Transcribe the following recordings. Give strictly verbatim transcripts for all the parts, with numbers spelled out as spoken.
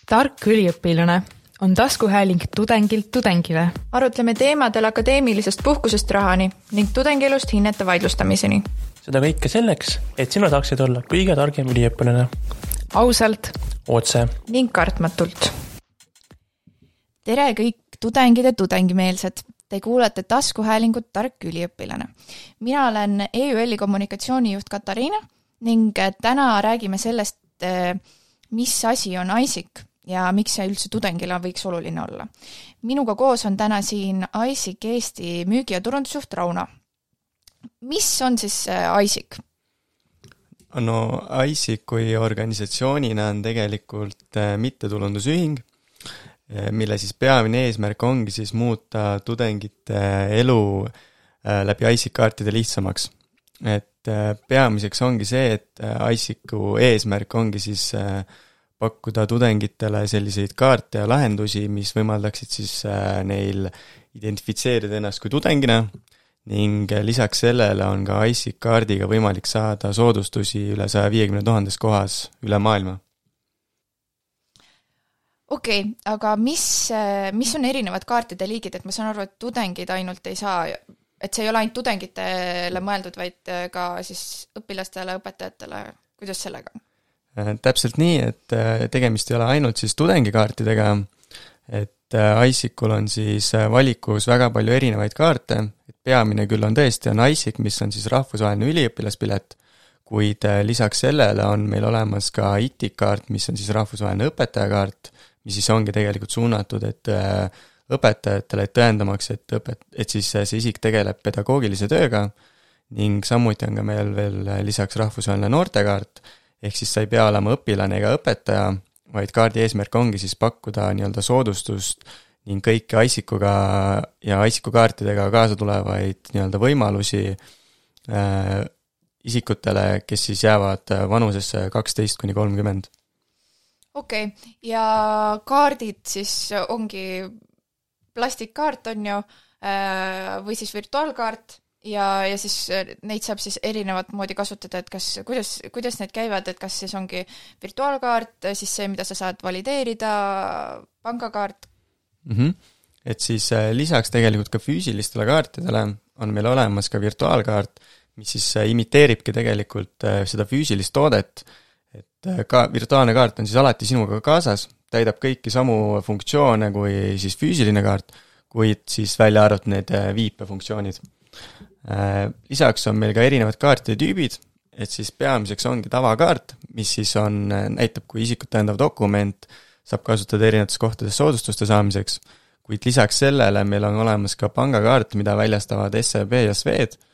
Tark üliõpilane on taskuhääling tudengilt tudengile. Arutleme teemadel akadeemilisest puhkusest rahani ning tudengielust hinnete vaidlustamiseni. Seda kõike selleks, et sina saaksid olla kõige targem üliõpilane. Ausalt. Otse. Ning kartmatult. Tere kõik tudengid ja tudengimeelsed. Te kuulete taskuhäälingut Tark üliõpilane. Mina olen E Ü L-i kommunikatsioonijuht Katariina ning täna räägime sellest, mis asi on I S I C ja miks see üldse tudengile võiks oluline olla. Minuga koos on täna siin I S I C Eesti müügi- ja turundusjuht Rauno. Mis on siis I S I C? No I S I C kui organisatsioonina on tegelikult mittetulundusühing, mille siis peamine eesmärk ongi siis muuta tudengite elu läbi I S I C-kaartide lihtsamaks. Et peamiseks ongi see, et I S I C-u eesmärk ongi siis pakkuda tudengitele selliseid kaarte ja lahendusi, mis võimaldaksid siis neil identifitseerida ennast kui tudengina ning lisaks sellele on ka I S I C-kaardiga võimalik saada soodustusi üle saja viiekümne tuhandes kohas üle maailma. Okei, okay, aga mis, mis on erinevad kaartide liigid, et ma saan aru, et tudengid ainult ei saa, et see ei ole ainult tudengitele mõeldud, vaid ka siis õpilastele, õpetajatele, kuidas sellega on? Täpselt nii, et tegemist ei ole ainult siis tudengikaartidega, et I S I C-ul on siis valikus väga palju erinevaid kaarte, et peamine küll on tõesti on I S I C, mis on siis rahvusvaheline üliõpilaspilet, kuid lisaks sellele on meil olemas ka I T I-kaart, mis on siis rahvusvaheline õpetajakaart, mis siis ongi tegelikult suunatud, et õpetajatele et tõendamaks, et, õpet, et siis see isik tegeleb pedagoogilise tööga ning samuti on ka meil veel lisaks rahvusvaheline noortekaart, ehk siis sa ei pea olema õpilane ega õpetaja, vaid kaardi eesmärk ongi siis pakkuda nii-öelda soodustust ning kõiki I S I C-uga ja I S I C-u kaartidega kaasa tulevaid nii-öelda võimalusi äh, isikutele, kes siis jäävad vanusesse kaksteist kuni kolmkümmend. Okei, okay. Ja kaardid siis ongi plastikkaart on ju, või siis virtuaalkaart ja, ja siis neid saab siis erinevat moodi kasutada, et kas, kuidas, kuidas need käivad, et kas siis ongi virtuaalkaart, siis see, mida sa saad valideerida, pangakaart? Mm-hmm. Et siis lisaks tegelikult ka füüsilistele kaartidele on meil olemas ka virtuaalkaart, mis siis imiteeribki tegelikult seda füüsilist toodet, et ka virtuaalne kaart on siis alati sinuga kaasas, täidab kõiki samu funktsioone kui siis füüsiline kaart, kuid siis välja arvatud need viipefunktsioonid. Lisaks on meil ka erinevad kaartide tüübid, et siis peamiseks ongi tavakaart, mis siis on, näitab kui isikut tõendav dokument, saab kasutada erinevates kohtades soodustuste saamiseks, kuid lisaks sellele meil on olemas ka pangakaart, mida väljastavad S E B ja S V E D,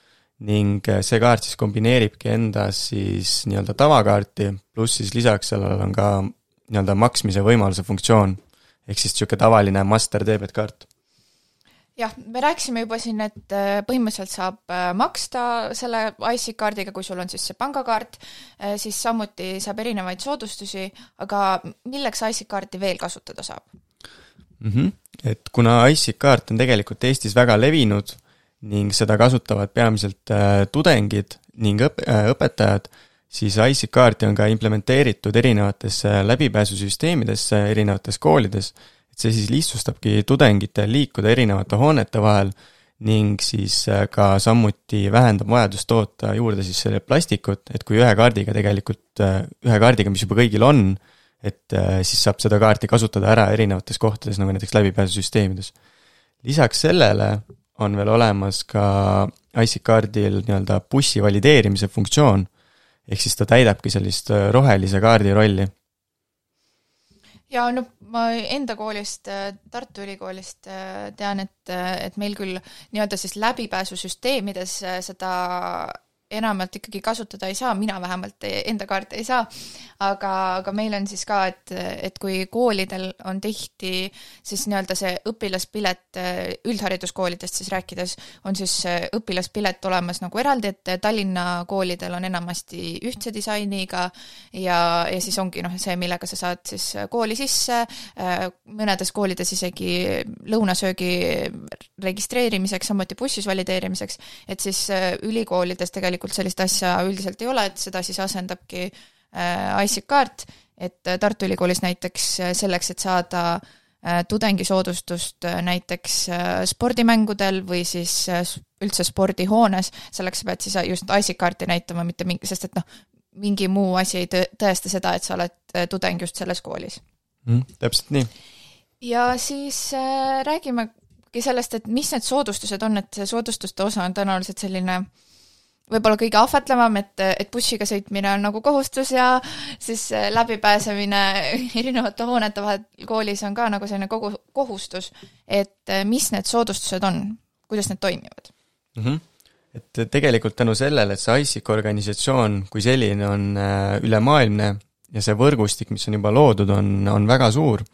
ning see kaart siis kombineeribki endas siis nii-öelda tavakaarti, pluss siis lisaks sellel on ka nii-öelda maksmise võimaluse funktsioon, ehk siis niisugune tavaline master debit kaart. Jah, me rääkisime juba siin, et põhimõtteliselt saab maksta selle I S I C-kaardiga, kui sul on siis see pangakaart, siis samuti saab erinevaid soodustusi, aga milleks I S I C-kaarti veel kasutada saab? Mm-hmm. Et kuna I S I C-kaart on tegelikult Eestis väga levinud, ning seda kasutavad peamiselt tudengid ning õp- õpetajad, siis I S I C-kaarti on ka implementeeritud erinevates läbipääsusüsteemidesse erinevates koolides, et see siis lihtsustabki tudengite liikuda erinevate hoonete vahel ning siis ka samuti vähendab vajadust toota juurde siis selle plastikut, et kui ühe kaardiga tegelikult, ühe kaardiga, mis juba kõigil on, et siis saab seda kaarti kasutada ära erinevates kohtades, nagu näiteks läbipääsusüsteemides. Lisaks sellele on veel olemas ka I S I C-kaardil nii-öelda bussi valideerimise funktsioon, ehk siis ta täidabki sellist rohelise kaardi rolli. Ja no ma enda koolist, Tartu Ülikoolist tean, et, et meil küll nii-öelda siis läbipääsusüsteemides seda enamalt ikkagi kasutada ei saa, mina vähemalt enda kaarte ei saa, aga, aga meil on siis ka, et, et kui koolidel on tihti siis nii-öelda see õpilaspilet üldhariduskoolidest siis rääkides, on siis õpilaspilet olemas nagu eraldi, et Tallinna koolidel on enamasti ühtse disainiga ja, ja siis ongi noh, see, millega sa saad siis kooli sisse, mõnedes koolides isegi lõunasöögi registreerimiseks, samuti bussis valideerimiseks, et siis ülikoolides tegelikult sellist asja üldiselt ei ole, et seda siis asendabki I S I C-kaart et Tartu Ülikoolis näiteks selleks, et saada tudengisoodustust näiteks spordimängudel või siis üldse spordihoones, selleks sa pead siis just ISIC-kaarti näitama, mitte mingi, sest et noh, mingi muu asi ei tõesta seda, et sa oled tudeng just selles koolis. Mm, täpselt nii. Ja siis äh, räägimegi sellest, et mis need soodustused on, et see soodustuste osa on tõenäoliselt selline võib-olla kõige ahvatlevam, et, et bussiga sõitmine on nagu kohustus ja siis läbipääsemine erinevate hoonete vahel koolis on ka nagu selline kogu, kohustus, et mis need soodustused on, kuidas need toimivad? Mm-hmm. Et tegelikult tänu sellele, et see ISIC organisatsioon kui selline on ülemaailmne ja see võrgustik, mis on juba loodud, on, on väga suur,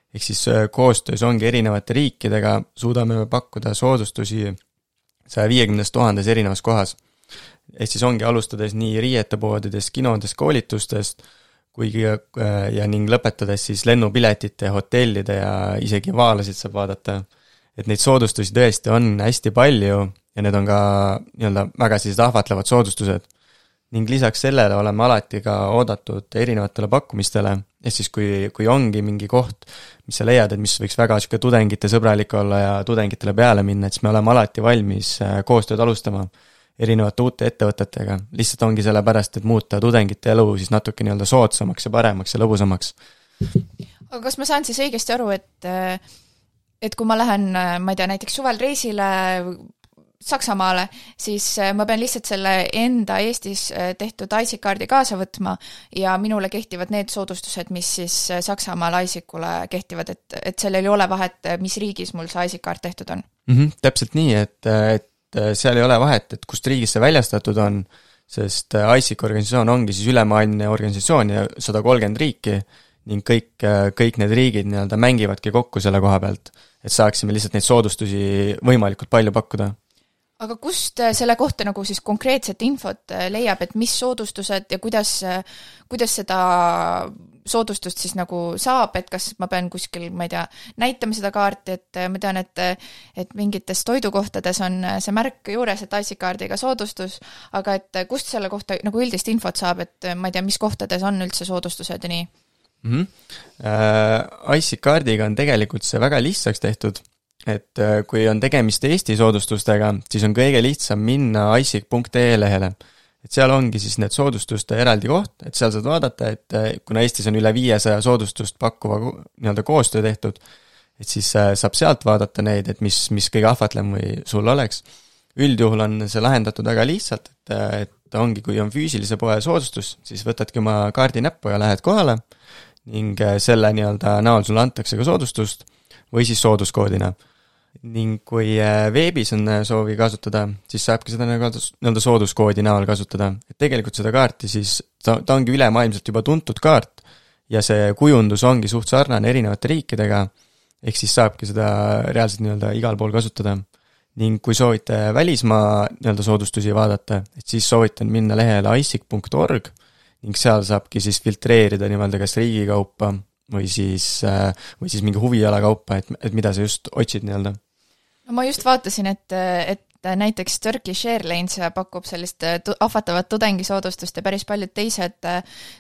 ehk siis koostöös ongi erinevate riikidega, suudame me pakkuda soodustusi saja viiekümnest tuhandes erinevas kohas. Ehk siis ongi alustades nii riietepoodidest, kinodest, koolitustest, kuigi ja ning lõpetades siis lennupiletite, hotellide ja isegi vaalasid saab vaadata. Et neid soodustusi tõesti on hästi palju ja need on ka nii-öelda väga sellised ahvatlevad soodustused. Ning lisaks sellele oleme alati ka oodatud erinevatele pakkumistele, ehk siis kui, kui ongi mingi koht, mis sa leiad, et mis võiks väga siuke tudengite sõbralik olla ja tudengitele peale minna, et siis me oleme alati valmis koostööd alustama erinevate uute ettevõtetega. Lihtsalt ongi selle pärast, et muuta tudengite elu siis natuke nii-öelda soodsamaks ja paremaks ja lõbusamaks. Aga kas ma saan siis õigesti aru, et, et kui ma lähen, ma ei tea, näiteks suvel reisile Saksamaale, siis ma pean lihtsalt selle enda Eestis tehtud ISIC-kaardi kaasa võtma ja minule kehtivad need soodustused, mis siis Saksamaal ISIC-ule kehtivad, et, et sellel ei ole vahet, mis riigis mul see ISIC-kaart tehtud on? Mm-hmm, täpselt nii, et, et seal ei ole vahet, et kust riigis see väljastatud on, sest ISIC organisatsioon ongi siis ülemaailmne organisatsioon ja sada kolmkümmend riiki ning kõik, kõik need riigid nii-öelda mängivadki kokku selle koha pealt, et saaksime lihtsalt neid soodustusi võimalikult palju pakkuda. Aga kust selle kohta nagu siis konkreetset infot leiab, et mis soodustused ja kuidas, kuidas seda soodustust siis nagu saab, et kas ma pean kuskil, ma ei tea, näitama seda kaarti, et ma tean, et, et mingites toidukohtades on see märk juures, et ISIC-kaardiga soodustus, aga et kust selle kohta nagu üldist infot saab, et ma ei tea, mis kohtades on üldse soodustused ja nii? Mm-hmm. Uh, ISIC-kaardiga on tegelikult see väga lihtsaks tehtud, et kui on tegemist Eesti soodustustega, siis on kõige lihtsam minna isic punkt ee lehele. Et seal ongi siis need soodustuste eraldi koht, et seal saad vaadata, et kuna Eestis on üle viiesaja soodustust pakkuva nii-öelda koostöö tehtud, et siis saab sealt vaadata neid, et mis, mis kõige ahvatlem või sul oleks. Üldjuhul on see lahendatud väga lihtsalt, et, et ongi, kui on füüsilise poe soodustus, siis võtadki oma kaardi näppu ja lähed kohale ning selle nii-öelda näol sulle antakse ka soodustust või siis sooduskoodina. Ning kui veebis on soovi kasutada, siis saabki seda nii-öelda sooduskoodi näol kasutada. Et tegelikult seda kaarti siis, ta, ta ongi ülemaailmselt juba tuntud kaart ja see kujundus ongi suht sarnane erinevate riikidega, ehk siis saabki seda reaalselt nii-öelda igal pool kasutada. Ning kui soovite välismaa nii-öelda soodustusi vaadata, et siis soovitan minna lehele isic punkt org ning seal saabki siis filtreerida nii-öelda kas riigikaupa või siis, või siis mingi huviala kaupa, et, et mida sa just otsid nii-öelda. No ma just vaatasin, et, et näiteks Turkish Airlines pakub sellist ahvatavat tudengisoodustust ja päris paljud teised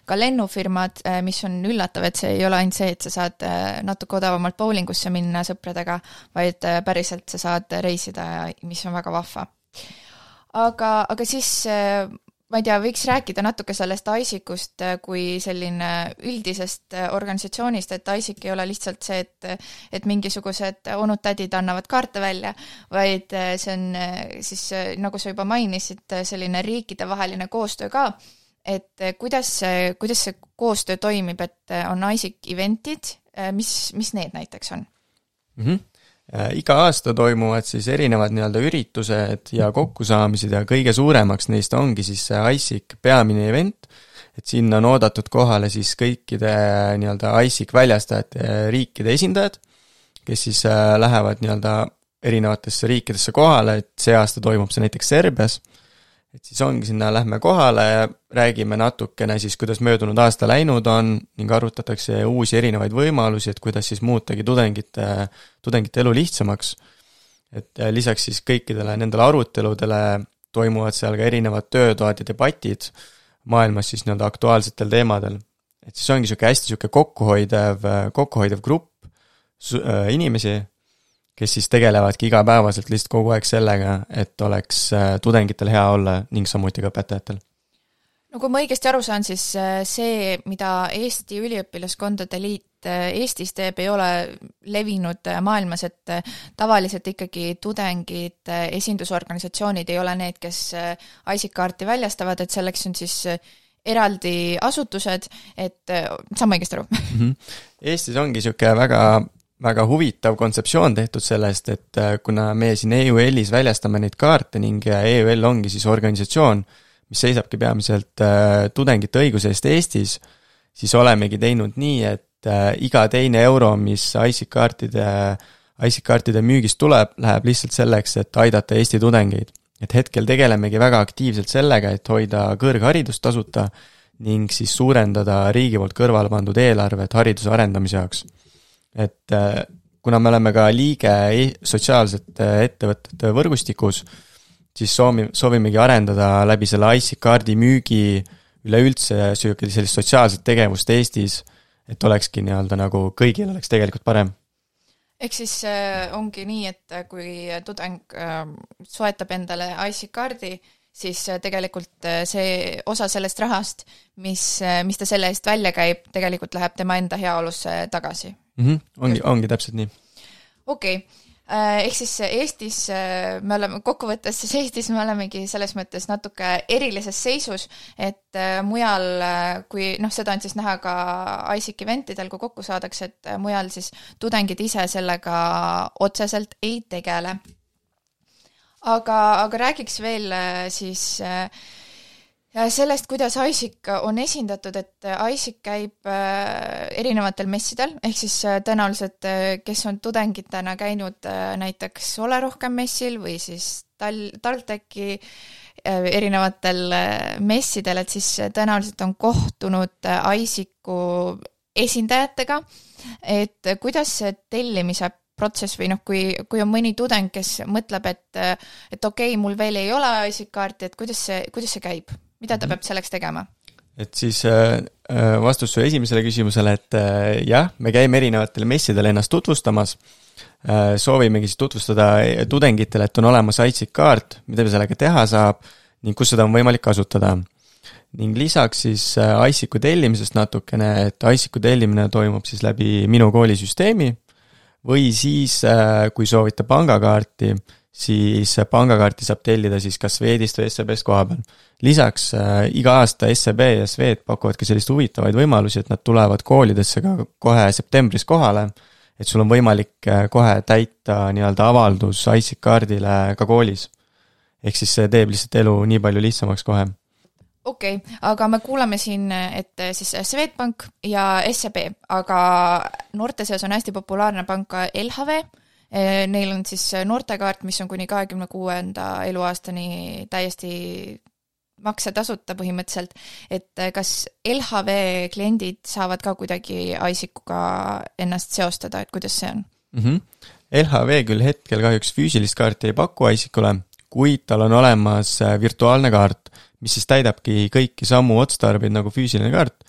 ka lennufirmad, mis on üllatav, et see ei ole ainult see, et sa saad natuke odavamalt bowlingusse minna sõpradega, vaid päriselt sa saad reisida, mis on väga vahva. Aga, aga siis ma ei tea, võiks rääkida natuke sellest ISIC-ust kui selline üldisest organisatsioonist, et ISIC ei ole lihtsalt see, et, et mingisugused onud-tädid annavad kaarte välja, vaid see on siis, nagu sa juba mainisid, selline riikidevaheline koostöö ka, et kuidas see, kuidas see koostöö toimib, et on ISIC eventid, mis, mis need näiteks on? Mhm. Iga aasta toimuvad siis erinevad nii-öelda üritused ja kokkusaamised ja kõige suuremaks neist ongi siis see ISIC peamine event, et sinna on oodatud kohale siis kõikide nii-öelda ISIC väljastajate riikide esindajad, kes siis lähevad nii-öelda erinevatesse riikidesse kohale, et see aasta toimub see näiteks Serbias, et siis ongi sinna lähme kohale ja räägime natukene siis, kuidas möödunud aasta läinud on ning arutatakse uusi erinevaid võimalusi, et kuidas siis muutagi tudengite, tudengite elu lihtsamaks. Et lisaks siis kõikidele nendele aruteludele toimuvad seal ka erinevad töötoad ja debatid maailmas siis nii-öelda aktuaalsetel teemadel. et siis ongi sihuke hästi sihuke kokkuhoidev, kokkuhoidev grupp inimesi, kes siis tegelevadki igapäevaselt lihtsalt kogu aeg sellega, et oleks tudengitel hea olla ning samuti ka õpetajatel. No kui ma õigesti aru saan, siis see, mida Eesti Üliõpilaskondade Liit Eestis teeb, ei ole levinud maailmas, et tavaliselt ikkagi tudengid, esindusorganisatsioonid ei ole need, kes I C kaarti väljastavad, et selleks on siis eraldi asutused, et saan ma õigesti aru? Eestis ongi sihuke väga, väga huvitav kontseptsioon tehtud sellest, et kuna me siin E U L-is väljastame neid kaarte ning E U L ongi siis organisatsioon, mis seisabki peamiselt tudengite õiguse eest Eestis, siis olemegi teinud nii, et iga teine euro, mis I C kaartide, I C kaartide müügist tuleb, läheb lihtsalt selleks, et aidata Eesti tudengeid. Et hetkel tegelemegi väga aktiivselt sellega, et hoida kõrgharidust tasuta ning siis suurendada riigi poolt kõrvale pandud eelarvet hariduse arendamise jaoks. Et kuna me oleme ka liige sotsiaalsete ettevõtete võrgustikus, siis soovi, soovimegi arendada läbi selle I C kaardi müügi üleüldse sellist sotsiaalset tegevust Eestis, et olekski nii-öelda nagu kõigil oleks tegelikult parem. Ehk siis äh, ongi nii, et kui tudeng äh, soetab endale I C kaardi, siis äh, tegelikult äh, see osa sellest rahast, mis, äh, mis ta selle eest välja käib, tegelikult läheb tema enda heaolusse tagasi. Mm-hmm. Ongi, ongi täpselt nii. Okei. Okay. Ehk siis Eestis me oleme, kokkuvõttes siis Eestis me olemegi selles mõttes natuke erilises seisus, et mujal, kui noh, seda on siis näha ka I C eventidel, kui kokku saadakse, et mujal siis tudengid ise sellega otseselt ei tegele. Aga, aga räägiks veel siis sellest, kuidas I C on esindatud, et I C käib erinevatel messidel, ehk siis tõenäoliselt, kes on tudengitena käinud näiteks Ole rohkem messil või siis Tal- Talteki erinevatel messidel, et siis tõenäoliselt on kohtunud I C-ku esindajatega, et kuidas see tellimise protsess või noh, kui, kui on mõni tudeng, kes mõtleb, et, et okei, mul veel ei ole I C kaarti, et kuidas see, kuidas see käib? Mida ta peab selleks tegema? Et siis vastus su esimesele küsimusele, et jah, me käime erinevatel messidel ennast tutvustamas, soovimegi siis tutvustada tudengitele, et on olemas I C kaart, mida sellega teha saab ning kus seda on võimalik kasutada. Ning lisaks siis I C-ku tellimisest natukene, et I C-ku tellimine toimub siis läbi minu koolisüsteemi või siis, kui soovite pangakaarti, siis pangakaarti saab tellida siis kas Swedist või S E B-st koha peal. Lisaks äh, iga aasta S E B ja Swed pakuvad ka sellist huvitavaid võimalusi, et nad tulevad koolidesse ka kohe septembris kohale, et sul on võimalik kohe täita nii-öelda avaldus I C kaardile ka koolis. Ehk siis see teeb lihtsalt elu nii palju lihtsamaks kohe. Okei, okay, aga me kuulame siin, et siis Swedbank ja S E B, aga noorte seas on hästi populaarne pank ka L H V. Neil on siis noortekaart, mis on kuni kahekümne kuuenda eluaastani täiesti maksetasuta põhimõtteliselt, et kas L H V kliendid saavad ka kuidagi I C-kuga ennast seostada, et kuidas see on? Mm-hmm. L H V küll hetkel kahjuks füüsilist kaarti ei paku I C-kule, kuid tal on olemas virtuaalne kaart, mis siis täidabki kõiki samu otstarbeid nagu füüsiline kaart.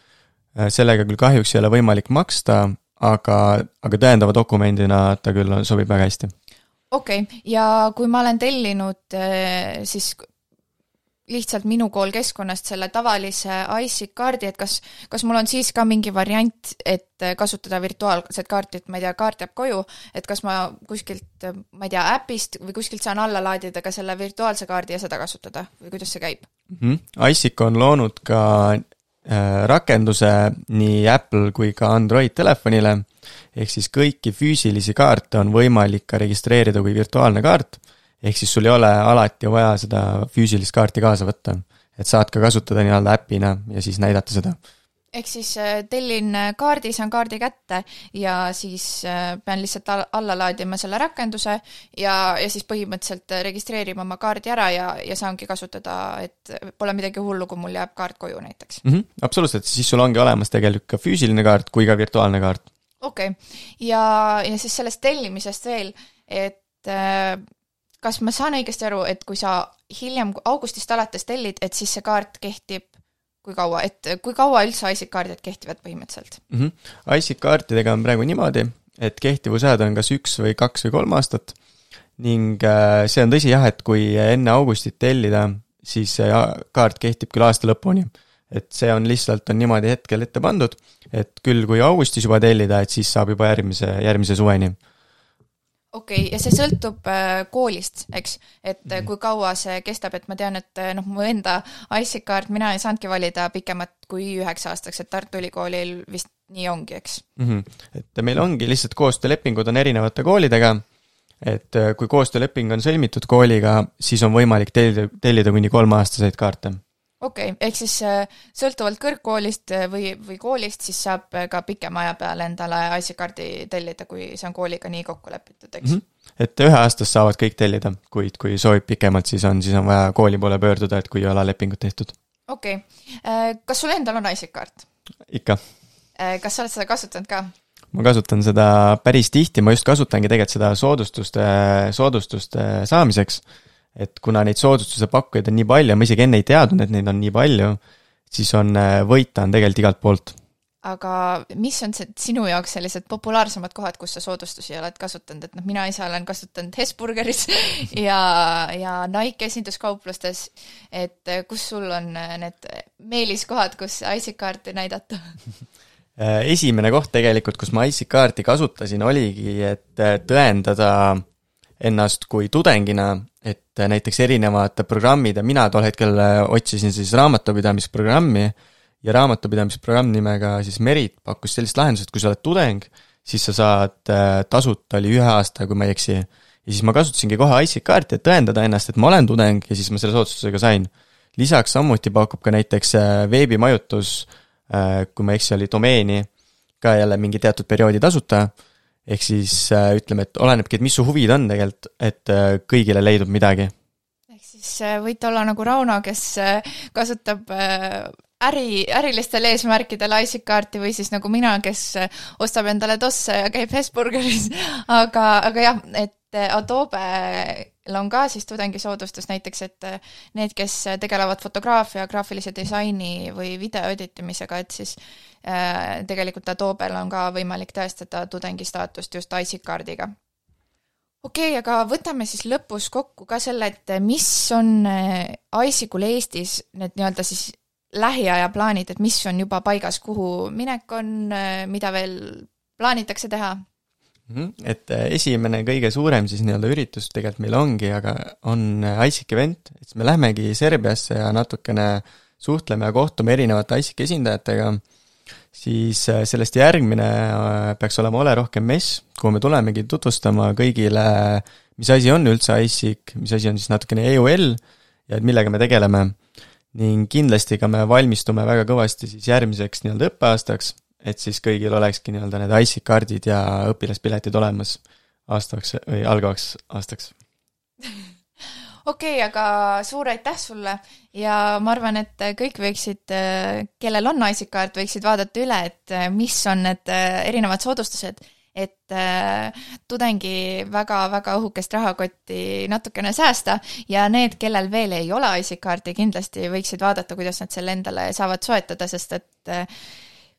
Sellega küll kahjuks ei ole võimalik maksta, aga, aga tõendava dokumendina ta küll sobib väga hästi. Okei, okay. Ja kui ma olen tellinud siis lihtsalt minu kool keskkonnast selle tavalise I C kaardi, et kas, kas mul on siis ka mingi variant, et kasutada virtuaalset kaarti, et ma ei tea, kaart jääb koju, et kas ma kuskilt, ma ei tea, äpist või kuskilt saan alla laadida ka selle virtuaalse kaardi ja seda kasutada või kuidas see käib? Mm-hmm. I C on loonud ka rakenduse nii Apple kui ka Android telefonile, ehk siis kõiki füüsilisi kaarte on võimalik ka registreerida kui virtuaalne kaart, ehk siis sul ei ole alati vaja seda füüsilist kaarti kaasa võtta, et saad ka kasutada nii-öelda äppina ja siis näidata seda. Ehk siis tellin kaardi, saan kaardi kätte ja siis pean lihtsalt alla laadima selle rakenduse ja, ja siis põhimõtteliselt registreerima oma kaardi ära ja, ja saangi kasutada, et pole midagi hullu, kui mul jääb kaart koju näiteks. Mm-hmm, absoluutselt, siis sul ongi olemas tegelikult ka füüsiline kaart kui ka virtuaalne kaart. Okei, okay. ja, ja siis sellest tellimisest veel, et kas ma saan õigesti aru, et kui sa hiljem augustist alates tellid, et siis see kaart kehtib kui kaua, et kui kaua üldse IC-kaardid kehtivad põhimõtteliselt? Mm -hmm. IC-kaartidega on praegu niimoodi, et kehtivusajad on kas üks või kaks või kolm aastat ning see on tõsi jah, et kui enne augustit tellida, siis kaart kehtib küll aasta lõpuni. Et see on lihtsalt on niimoodi hetkel ette pandud, et küll kui augustis juba tellida, et siis saab juba järgmise, järgmise suveni. Okei, okay, ja see sõltub koolist, eks, et kui kaua see kestab, et ma tean, et noh, mu enda IC-kaart, mina ei saanudki valida pikemat kui üheks aastaks, et Tartu Ülikoolil vist nii ongi, eks? Mm -hmm. Et meil ongi lihtsalt koostöölepingud on erinevate koolidega, et kui koostööleping on sõlmitud kooliga, siis on võimalik tellida, tellida kuni kolmeaastaseid kaarte. Okei, okay, ehk siis sõltuvalt kõrgkoolist või, või koolist, siis saab ka pikema aja peale endale IC-kaardi tellida, kui see on kooliga nii kokku lepitud, eks? Mm -hmm. Et ühe aastast saavad kõik tellida, kuid kui soovib pikemalt, siis on, siis on vaja kooli poole pöörduda, et kui ei ole lepingut tehtud. Okei, okay. Kas sul endal on IC-kaart? Ikka. Kas sa oled seda kasutanud ka? Ma kasutan seda päris tihti, ma just kasutangi tegelikult seda soodustuste, soodustuste saamiseks, et kuna neid soodustuse pakkujaid on nii palju, ma isegi enne ei teadnud, et neid on nii palju, siis on võita on tegelikult igalt poolt. Aga mis on see sinu jaoks sellised populaarsemad kohad, kus sa soodustusi oled kasutanud, et noh, mina ise olen kasutanud Hesburgeris ja, ja Nike esinduskauplustes, et kus sul on need meeliskohad, kus IC-kaarti näidata? Esimene koht tegelikult, kus ma IC-kaarti kasutasin, oligi, et tõendada ennast kui tudengina, et näiteks erinevad programmid ja mina tol hetkel otsisin siis raamatupidamisprogrammi ja raamatupidamisprogramm nimega siis Merit pakkus sellist lahendust, et kui sa oled tudeng, siis sa saad tasuta oli ühe aasta, kui ma ei eksi. Ja siis ma kasutasingi kohe IC-kaarti, et tõendada ennast, et ma olen tudeng ja siis ma selle soodustusega sain. Lisaks samuti pakub ka näiteks veebimajutus, kui ma eksi, oli domeeni ka jälle mingi teatud perioodi tasuta. Ehk siis ütleme, et olenebki, et mis su huvid on tegelikult, et kõigile leidub midagi. Ehk siis võite olla nagu Rauno, kes kasutab äri, ärilistel eesmärkidel IC-kaarti või siis nagu mina, kes ostab endale tosse ja käib Hesburgeris. Aga, aga jah, et Adobe'l on ka siis tudengisoodustus näiteks, et need, kes tegelevad fotograafia, graafilise disaini või video editimisega, et siis äh, tegelikult Adobe'l on ka võimalik tõestada tudengi staatust just IC-kaardiga. Okei, okay, aga võtame siis lõpus kokku ka selle, et mis on IC-kul Eestis need nii-öelda siis lähiaja plaanid, et mis on juba paigas, kuhu minek on, mida veel plaanitakse teha? Et esimene kõige suurem siis nii-öelda üritus tegelikult meil ongi, aga on IC event, et me lähmegi Serbiasse ja natukene suhtleme ja kohtume erinevate IC esindajatega, siis sellest järgmine peaks olema Ole rohkem mess, kuhu me tulemegi tutvustama kõigile, mis asi on üldse IC, mis asi on siis natukene E U L ja millega me tegeleme. Ning kindlasti ka me valmistume väga kõvasti siis järgmiseks nii-öelda õppeaastaks, et siis kõigil olekski nii-öelda need IC-kaardid ja õpilaspiletid olemas aastaks või algavaks aastaks. Okei, okay, aga suur aitäh sulle ja ma arvan, et kõik võiksid, kellel on IC-kaart, võiksid vaadata üle, et mis on need erinevad soodustused, et tudengi väga-väga õhukest rahakotti natukene säästa ja need, kellel veel ei ole IC-kaarti, kindlasti võiksid vaadata, kuidas nad selle endale saavad soetada, sest et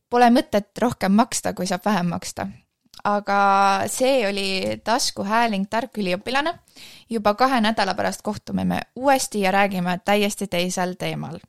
pole mõtet rohkem maksta, kui saab vähem maksta. Aga see oli taskuhääling tark üliõpilane. Juba kahe nädala pärast kohtume me uuesti ja räägime täiesti teisel teemal.